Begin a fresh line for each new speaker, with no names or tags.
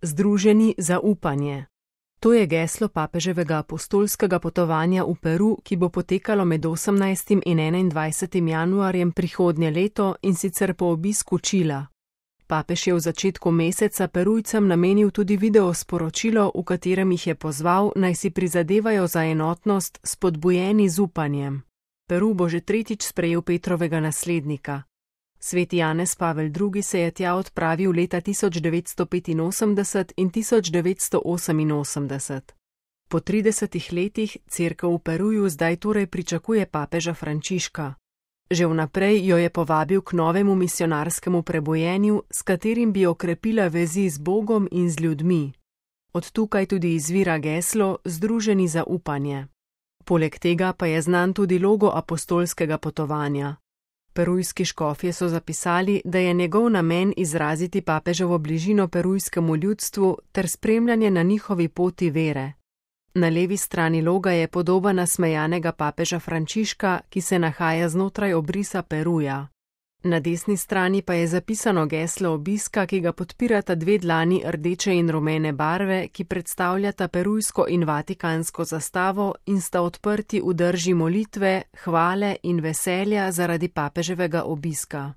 Združeni za upanje. To je geslo papeževega apostolskega potovanja v Peru, ki bo potekalo med 18. in 21. januarjem prihodnje leto, in sicer po obisku Čila. Papež je v začetku meseca Perujcem namenil tudi video sporočilo, v katerem jih je pozval, naj si prizadevajo za enotnost, spodbujeni z upanjem. Peru bo že tretjič sprejel Petrovega naslednika. Sveti Janez Pavel II. Se je tja odpravil leta 1985 in 1988. Po 30 letih Cerkev v Peruju zdaj torej pričakuje papeža Frančiška. Že vnaprej jo je povabil k novemu misionarskemu prebojenju, s katerim bi okrepila vezi z Bogom in z ljudmi. Od tukaj tudi izvira geslo Združeni za upanje. Poleg tega pa je znan tudi logo apostolskega potovanja. Perujski škofje so zapisali, da je njegov namen izraziti papeževo bližino perujskemu ljudstvu ter spremljanje na njihovi poti vere. Na levi strani loga je podoba nasmejanega papeža Frančiška, ki se nahaja znotraj obrisa Peruja. Na desni strani pa je zapisano geslo obiska, ki ga podpirata dve dlani rdeče in rumene barve, ki predstavljata perujsko in vatikansko zastavo in sta odprti v drži molitve, hvale in veselja zaradi papeževega obiska.